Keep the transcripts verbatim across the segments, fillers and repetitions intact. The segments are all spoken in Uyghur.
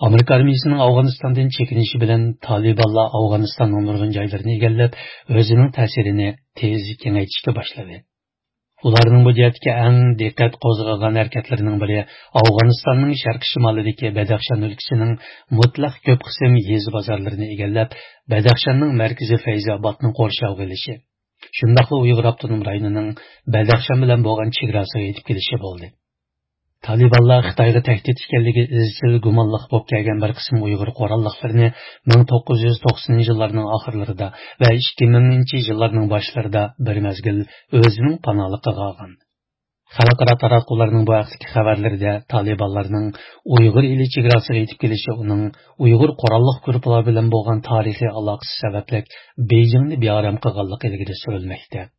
ئامېرىكا ئارمىيىسىنىڭ ئافغانىستاندىن چېكىنىشى بىلەن تالىبانلار ئافغانىستاننىڭ نۇرغۇن جايلىرىنى ئىگىلەپ، ئۆزىنىڭ تەسىرىنى تېز كېڭەيتىشكە باشلىدى. ئۇلارنىڭ بۇ جەھەتتىكى ئەڭ دىققەت قوزغىغان ھەرىكەتلىرىنىڭ بىرى ئافغانىستاننىڭ شەرقىي شىمالىدىكى بەدەخشان ئۆلكىسىنىڭ مۇتلەق كۆپ قىسىم يېزا بازارلىرىنى ئىگىلەپ، بەدەخشاننىڭ مەركىزى فەيزى ئابادنى قورشاۋغا ئېلىشى، شۇنداقلا ئۇيغۇر ئاپتونوم رايونىنىڭ بەدەخشان بىلەن بولغان چېگراسىغا يېتىپ كېلىشى بولدى. تالىبانلار خىتايغا تەھدىت ئىكەنلىكى ئىزچىل گۇمانلىق بولۇپ كەلگەن بىر قىسىم ئۇيغۇر قوراللىقلىرىنى مىڭ توققۇز يۈز توقسىنىنچى يىللارنىڭ ئاخىرلىرىدا ۋە ئىككى مىڭىنچى يىللارنىڭ باشلىرىدا بىر مەزگىل ئۆزىنىڭ پاناھلىقىغا ئالغان. خەلقئارا تاراتقۇلارنىڭ بۇ ھەقتىكى خەۋەرلىرىدە تالىبانلارنىڭ ئۇيغۇر ئېلى چېگراسىغا يېتىپ كېلىشى ئۇنىڭ ئۇيغۇر قوراللىق گۇرۇپپىلار بىلەن بولغان تارىخىي ئالاقىسى سەۋەبلىك بېيجىڭنى بىئارام قىلغانلىقى ئىلگىرى سۈرۈلمەكتە.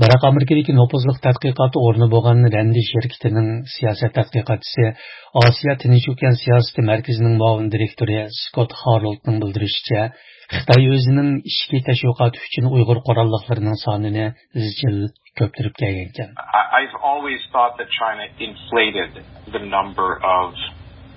بىراق ئامېرىكىدىكى نوپۇزلۇق تەتقىقات ئورنى بولغان رەندى شىركىتىنىڭ سىياسەت تەتقىقاتچىسى، ئاسىيا تىنچ ئوكيان سىياسىتى مەركىزىنىڭ مۇئاۋىن دىرېكتورى سكوت خارولدنىڭ بىلدۈرۈشىچە، خىتاي ئۆزىنىڭ ئىچكى تەشۋىقاتى ئۈچۈن ئۇيغۇر قوراللىقلىرىنىڭ سانىنى ئىزچىل كۆپتۈرۈپ كەلگەنىكەن. I- I've always thought that China inflated the number of,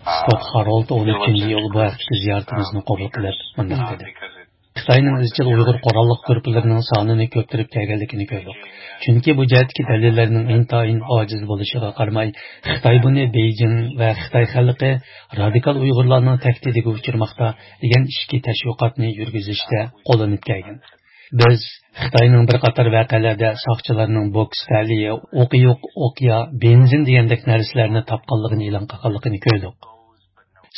uh, سكوت خارولد ئون ئۈچىنچى ئىيۇل بۇ ھەقتىكى زىيارىتىمىزنى قوبۇل قىلىپ مۇنداق دېدى. خىتاينىڭ ئىزچىل ئۇيغۇر قوراللىق گۇرۇپپىلىرىنىڭ سانىنى كۆپتۈرۈپ كەلگەنلىكىنى كۆردۇق. چۈنكى بۇ جەھەتتىكى دەلىللەرنىڭ ئىنتايىن ئاجىز بولۇشىغا قارىماي، خىتاي بۇنى بېيجىڭ ۋە خىتاي خەلقى رادىكال ئۇيغۇرلارنىڭ تەھدىتىگە ئۇچرىماقتا دېگەن ئىچكى تەشۋىقاتنى يۈرگۈزۈشتە قوللىنىپ كەلگەن. بىز خىتاينىڭ بىر قاتار ۋەقەلەردە ساقچىلارنىڭ بوكس تەلىيى، ئوقى يوق ئوقيا، بېنزىن دېگەندەك نەرسىلەرنى تاپقانلىقىنى ئېلان قىلغانلىقىنى كۆردۇق.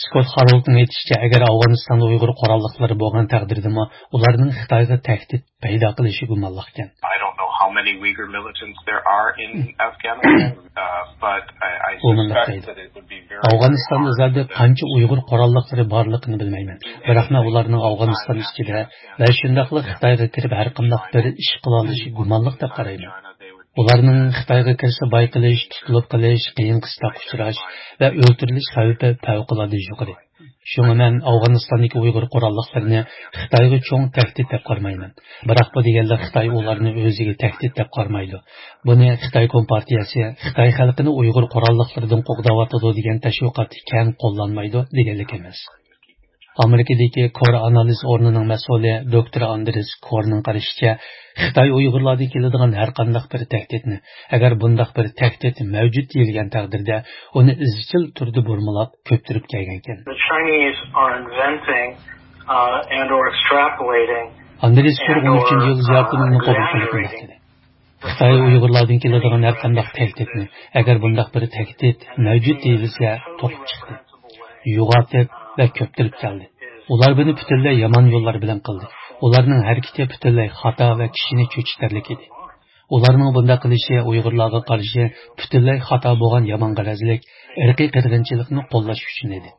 سكوت خارولدنىڭ ئېيتىشىچە، ئەگەر ئافغانىستاندا ئۇيغۇر قوراللىقلىرى بولغان تەقدىردىمۇ، ئۇلارنىڭ خىتايغا تەھدىت پەيدا قىلىشى گۇمانلىقكەن. I don't know how many Uyghur militants there are in Afghanistan, uh, but I, I ئۇ مۇنداق suspect دەيدۇ، that it would be very ئافغانىستاندا زادى قانچە ئۇيغۇر قوراللىقلىرى بارلىقىنى بىلمەيمەن. بىراق مەن ئۇلارنىڭ ئافغانىستان ئىچىدە ۋە شۇنداقلا خىتايغا كىرىپ ھەر قانداق بىر ئىش قىلالىشى گۇمانلىق دەپ قارايمەن. ئۇلارنىڭ خىتايغا كىرسە بايقىلىش، تۇتۇلۇپ قېلىش، قىيىن-قىستاققا ئۇچراش ۋە ئۆلتۈرۈلۈش خەۋپى پەۋقۇلئاددە يۇقىرى. شۇڭا مەن ئافغانىستاندىكى ئۇيغۇر قوراللىقلىرىنى خىتايغا چوڭ تەھدىت دەپ قارىمايمەن. بىراق بۇ دېگەنلىك خىتاي ئۇلارنى ئۆزىگە تەھدىت دەپ قارىمايدۇ. بۇنى خىتاي كومپارتىيەسى خىتاي خەلقىنى ئۇيغۇر قوراللىقلىرىدىن قوغداۋاتىدۇ دېگەن تەشۋىقاتتا كەڭ قوللانمايدۇ دېگەنلىك ئەمەس. ئامېرىكىدىكى كور ئانالىز ئورنىنىڭ مەسئۇلى دوكتور ئاندرېس كورنىڭ قارىشىچە، خىتاي ئۇيغۇرلاردىن كېلىدىغان ھەر قانداق بىر تەھدىتنى، ئەگەر بۇنداق بىر تەھدىت مەۋجۇت دېيىلگەن تەقدىردە، ئۇنى ئىزچىل تۈردە بۇرمىلاپ كۆپتۈرۈپ كەلگەنىكەن. The Chinese are inventing, uh, and or extrapolating ئاندرېس كور ئون ئۈچىنچى يىل زىيارىتىمىزنى قوبۇل قىلىپ مۇنداق دېدى. خىتاي ئۇيغۇرلاردىن كېلىدىغان ھەر قانداق تەھدىتنى، ئەگەر بۇنداق بىر تەھدىت مەۋجۇت دېيىلسە، توقۇپ چىقتى. يوغىنىتىپ ۋە كۆپتۈرۈپ كەلدى. ئۇلار بۇنى پۈتۈنلەي يامان يوللار بىلەن قىلدى. ئۇلارنىڭ ھەرىكىتى پۈتۈنلەي خاتا ۋە كىشىنى چۆچۈتەرلىك ئىدى. ئۇلارنىڭ بۇنداق قىلىشى ئۇيغۇرلارغا قارشى پۈتۈنلەي خاتا بولغان يامان غەرەزلىك، ئىرقىي قىرغىنچىلىقنى قوللاش ئۈچۈن ئىدى.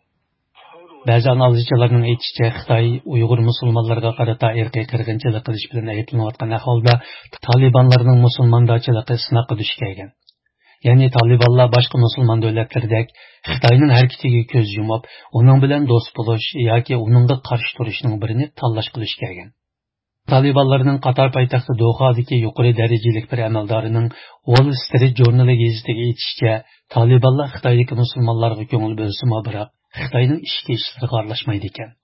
بەزى ئانالىزچىلارنىڭ ئېيتىشىچە، خىتاي ئۇيغۇر مۇسۇلمانلىرىغا قارىتا ئىرقىي قىرغىنچىلىق قىلىش بىلەن ئەيىبلىنىۋاتقان ئەھۋالدا، تالىبانلارنىڭ مۇسۇلماندارچىلىقى سىناققا دۇچ كەلگەن. يەنى تالىبانلار باشقا مۇسۇلمان دۆلەتلىرىدەك خىتاينىڭ ھەرىكىتىگە كۆز يۇمۇپ، ئۇنىڭ بىلەن دوست بولۇش ياكى ئۇنىڭغا قارشى تۇرۇشنىڭ بىرىنى تاللاشقا دۇچ كەلگەن. تالىبانلارنىڭ قاتار پايتەختى دوھادىكى يۇقىرى دەرىجىلىك بىر ئەمەلدارىنىڭ ۋول سترىت ژۇرنىلى گېزىتىگە ئېيتىشىچە، تالىبانلار خىتايدىكى مۇسۇلمانلارغا كۆڭۈل بۆلسىمۇ، بىراق خىتاينىڭ ئىچكى ئىشلىرىغا ئارىلاشمايدىكەن.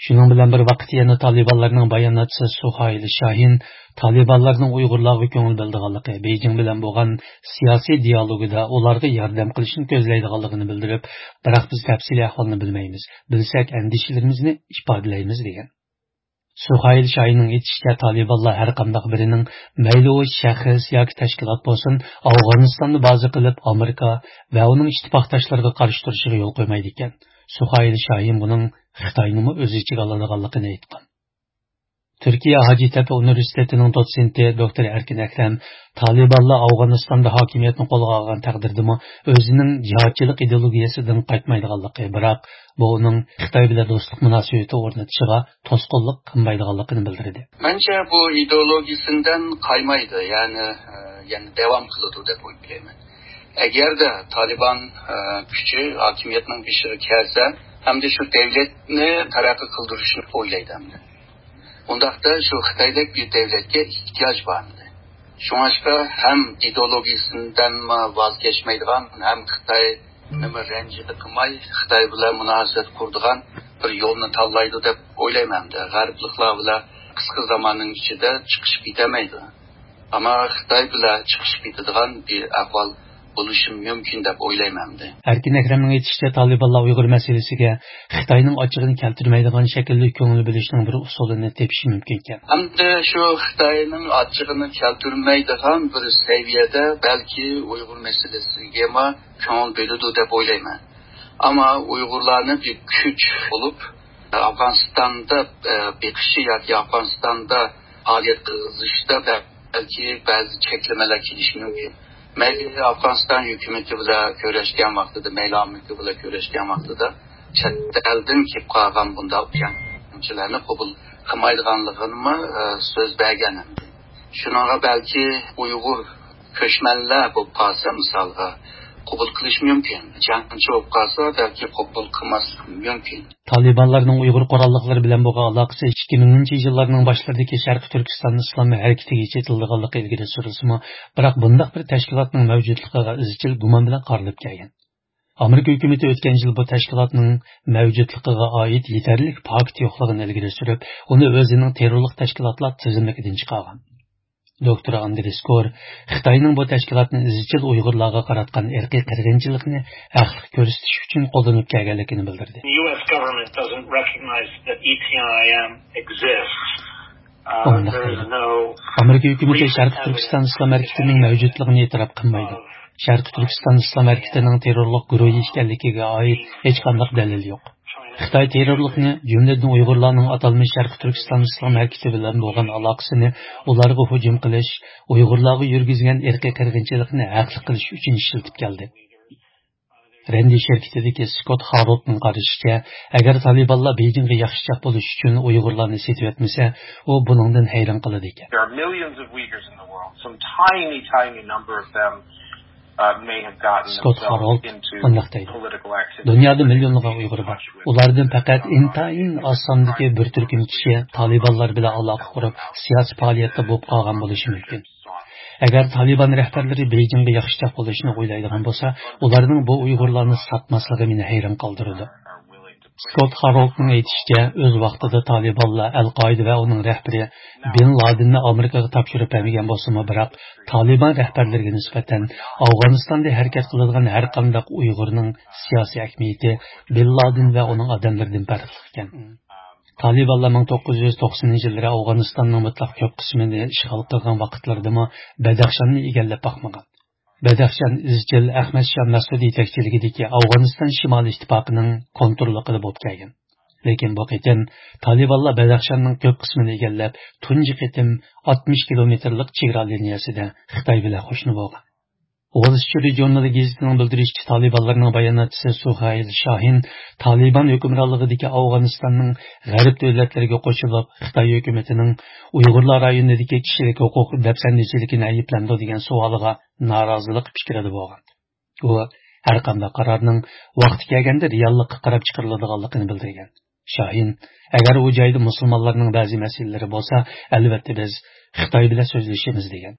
شۇنىڭ بىلەن بىر ۋاقىتتا، يەنە تالىبانلارنىڭ باياناتچىسى سۇھايل شاھىن تالىبانلارنىڭ ئۇيغۇرلارغا كۆڭۈل بۆلىدىغانلىقى، بېيجىڭ بىلەن بولغان سىياسىي دىيالوگىدا ئۇلارغا ياردەم قىلىشنى كۆزلەيدىغانلىقىنى بىلدۈرۈپ، بىراق بىز تەپسىلىي ئەھۋالنى بىلمەيمىز، بىلسەك ئەندىشىلىرىمىزنى ئىپادىلەيمىز، دېگەن. سۇھايل شاھىننىڭ ئېيتىشىچە، تالىبانلار ھەر قانداق بىرىنىڭ، مەيلى ئۇ شەخس ياكى تەشكىلات بولسۇن، ئافغانىستاننى بازا قىلىپ، ئامېرىكا ۋە ئۇنىڭ ئىتتىپاقداشلىرىغا قارشى تۇرۇشىغا يول قويمايدىكەن. سۇھايل شاھىن بۇنىڭ خىتاينىمۇ ئۆز ئىچىگە ئالىدىغانلىقىنى ئېيتقان. تۈركىيە ھاجىتەپە ئۇنىۋېرسىتېتىنىڭ دوتسېنتى دوكتور ئەركىن ئەكرەم تالىبانلار ئافغانىستاندا ھاكىمىيەتنى قولغا ئالغان تەقدىردىمۇ ئۆزىنىڭ جىھادچىلىق ئىدېئولوگىيەسىدىن قايتمايدىغانلىقى، بىراق بۇ ئۇنىڭ خىتاي بىلەن دوستلۇق مۇناسىۋىتى ئورنىتىشىغا توسقۇنلۇق قىلمايدىغانلىقىنى بىلدۈردى. مەنچە بۇ ئىدېئولوگىيىسىندىن قايمايدۇ، يەنى، ئە، يەنى داۋام قىلىدۇ دەپ ئويلايمەن. ئەگەردە تالىبان، ئە، كۈچى ھاكىمىيەتنىڭ بېشىغا كەلسە، ئەمدى شۇ دەۋلەتنى تەرەققىي قىلدۇرۇشنى ئويلايدۇ ئەمدى. ئۇنداقتا شۇ خىتايدەك بىر دەۋلەتكە ئېھتىياج بار ئەمدى. شۇڭلاشقا ھەم ئىدېئولوگىيىسىدىنمۇ ۋاز كەچمەيدىغان، ھەم خىتاي نېمە رەنجىدە قىلماي، خىتاي بىلەن مۇناسىۋەت قۇرىدىغان بىر يولنى تاللايدۇ دەپ ئويلايمەن. غەربلىكلەر بىلەن قىسقا زاماننىڭ ئىچىدە چىقىشىپ كېتەلمەيدۇ. ئەمما خىتاي بىلەن چىقىشىپ كېتىدىغان بىر ئەھۋال بولۇشى مۇمكىن دەپ ئويلايمەن. ئەركىن ئەكرەمنىڭ ئېيتىشىچە، تالىبانلار ئۇيغۇر مەسىلىسىگە خىتاينىڭ ئاچچىقىنى كەلتۈرمەيدىغان شەكىلدە كۆڭۈل بۆلۈشنىڭ بىر ئۇسۇلىنى تېپىشى مۇمكىنكەن. ئەمدى شۇ خىتاينىڭ ئاچچىقىنى كەلتۈرمەيدىغان بىر سەۋىيەدە بەلكى ئۇيغۇر مەسىلىسىگىمۇ كۆڭۈل بۆلىدۇ دەپ ئويلايمەن. ئەمما ئۇيغۇرلارنى بىر كۈچ بولۇپ ئافغانىستاندا، ئە، بېقىشى ياكى ئافغانىستاندا پائالىيەت قىلغۇزۇشتا بەلكى بەزى چەكلىمىلەر كېلىشى مۇمكىن. مەيلى ئافغانىستان ھۆكۈمىتى بىلەن كۆرۈشكەن ۋاقتىدا، مەيلى ئامېرىكا بىلەن كۆرۈشكەن ۋاقتىدا چەت ئەلدىن كېلىپ قالغان بۇنداق جەڭچىلەرنى قوبۇل قىلمايدىغانلىقىنىمۇ، ئە، سۆز بەرگەن ئىدى. شۇنىڭغا بەلكى ئۇيغۇر كۆچمەنلەر بولۇپ قالسا، مىسالغا، قوبۇل قىلىش مۇمكىن. جەڭچى بولۇپ قالسا، بەلكى قوبۇل قىلماسلىقى مۇمكىن. تالىبانلارنىڭ ئۇيغۇر قوراللىقلىرى بىلەن بولغان ئالاقىسى ئىككى مىڭىنچى يىللارنىڭ باشلىرىدىكى شەرقىي تۈركىستان ئىسلام ھەرىكىتىگىچە يېتىلىدىغانلىقى ئىلگىرى سۈرۈلسىمۇ، بىراق بۇنداق بىر تەشكىلاتنىڭ مەۋجۇتلۇقىغا ئىزچىل گۇمان بىلەن قارىلىپ كەلگەن. ئامېرىكا ھۆكۈمىتى ئۆتكەن يىل بۇ تەشكىلاتنىڭ مەۋجۇتلۇقىغا ئائىت يېتەرلىك پاكىت يوقلۇقىنى ئىلگىرى سۈرۈپ، ئۇنى ئۆزىنىڭ تېررورلۇق تەشكىلاتلار تىزىملىكىدىن چىقارغان. دوكتور ئاندرېس كور خىتاينىڭ بۇ تەشكىلاتنى ئىزچىل ئۇيغۇرلارغا قاراتقان ئىرقىي قىرغىنچىلىقنى ھەقلىق كۆرسىتىش ئۈچۈن قوللىنىپ كەلگەنلىكىنى بىلدۈردى. The U S government doesn't recognize that E T I M exists. ئۇ مۇنداق دەيدۇ، ئامېرىكا ھۆكۈمىتى شەرقىي تۈركىستان ئىسلام ھەرىكىتىنىڭ مەۋجۇتلۇقىنى ئېتىراپ قىلمايدۇ. شەرقىي تۈركىستان ئىسلام ھەرىكىتىنىڭ تېررورلۇق گۇرۇھى ئىكەنلىكىگە ئائىت ھېچقانداق دەلىل يوق. خىتاي تېررورلۇقنى، جۈملىدىن ئۇيغۇرلارنىڭ ئاتالمىش شەرقىي تۈركىستان ئىسلام ھەرىكىتى بىلەن بولغان ئالاقىسىنى ئۇلارغا ھۇجۇم قىلىش، ئۇيغۇرلارغا يۈرگۈزگەن ئىرقىي قىرغىنچىلىقنى ھەقلىق قىلىش ئۈچۈن ئىشلىتىپ كەلدى. رەندى شىركىتىدىكى سكوت خارولدنىڭ قارىشىچە، ئەگەر تالىبانلار بېيجىڭغا ياخشىچاق بولۇش ئۈچۈن ئۇيغۇرلارنى سېتىۋەتمىسە، ئۇ بۇنىڭدىن ھەيران قالىدىكەن. There are millions of Uyghurs in the world. Some tiny, tiny number of them, uh, may have gotten سكوت خارولد مۇنداق دەيدۇ، دۇنيادا مىليونلىغان ئۇيغۇر بار. ئۇلاردىن پەقەت ئىنتايىن ئاز ساندىكى بىر تۈركۈم كىشى تالىبانلار بىلەن ئالاقە قۇرۇپ، سىياسىي پائالىيەتتە بولۇپ قالغان بولۇشى مۇمكىن. ئەگەر تالىبان رەھبەرلىرى بېيجىڭغا ياخشىچاق بولۇشنى ئويلايدىغان بولسا، ئۇلارنىڭ بۇ ئۇيغۇرلارنى ساتماسلىقى مېنى ھەيران قالدۇرىدۇ. سكوت خارولدنىڭ ئېيتىشىچە، ئۆز ۋاقتىدا تالىبانلار ئەل قائىدە ۋە ئۇنىڭ رەھبىرى بىن لادىننى ئامېرىكىغا تاپشۇرۇپ بەرمىگەن بولسىمۇ، بىراق تالىبان رەھبەرلىرىگە نىسبەتەن ئافغانىستاندا ھەرىكەت قىلىدىغان ھەر قانداق ئۇيغۇرنىڭ سىياسىي ئەھمىيىتى بىن لادىن ۋە ئۇنىڭ ئادەملىرىدىن پەرقلىق ئىكەن. تالىبانلار مىڭ توققۇز يۈز توقسىنىنچى يىللىرى ئافغانىستاننىڭ مۇتلەق كۆپ قىسمىنى ئىشغال قىلغان ۋاقىتلىرىدىمۇ بەدەخشاننى ئىگىلەپ باقمىغان. بەدەخشان ئىزچىل ئەخمەت شاھ مەسئۇد يېتەكچىلىكىدىكى ئافغانىستان شىمالىي ئىتتىپاقىنىڭ كونتروللۇقىدا بولۇپ كەلگەن. لېكىن بۇ قېتىم تالىبانلار بەدەخشاننىڭ كۆپ قىسمىنى ئىگىلەپ، تۇنجى قېتىم ئاتمىش كىلومېتىرلىق چېگرا لىنىيەسىدە خىتاي بىلەن قوشنا بولغان. ۋول سترىت ژۇرنىلى گېزىتىنىڭ بىلدۈرۈشىچە، تالىبانلارنىڭ باياناتچىسى سۇھەيل شاھىن تالىبان ھۆكۈمرانلىقىدىكى ئافغانىستاننىڭ غەرب دۆلەتلىرىگە قوشۇلۇپ، خىتاي ھۆكۈمىتىنىڭ ئۇيغۇرلار رايونىدىكى كىشىلىك ھوقۇق دەپسەندىچىلىكىنى ئەيىبلەمدۇ دېگەن سوئالىغا نارازىلىق پىكرىدە بولغان. ئۇ ھەر قانداق قارارنىڭ ۋاقتى كەلگەندە رېئاللىققا قاراپ چىقىرىلىدىغانلىقىنى بىلدۈرگەن. شاھىن، ئەگەر ئۇ جايدا مۇسۇلمانلارنىڭ بەزى مەسىلىلىرى بولسا، ئەلۋەتتە بىز خىتاي بىلەن سۆزلىشىمىز، دېگەن.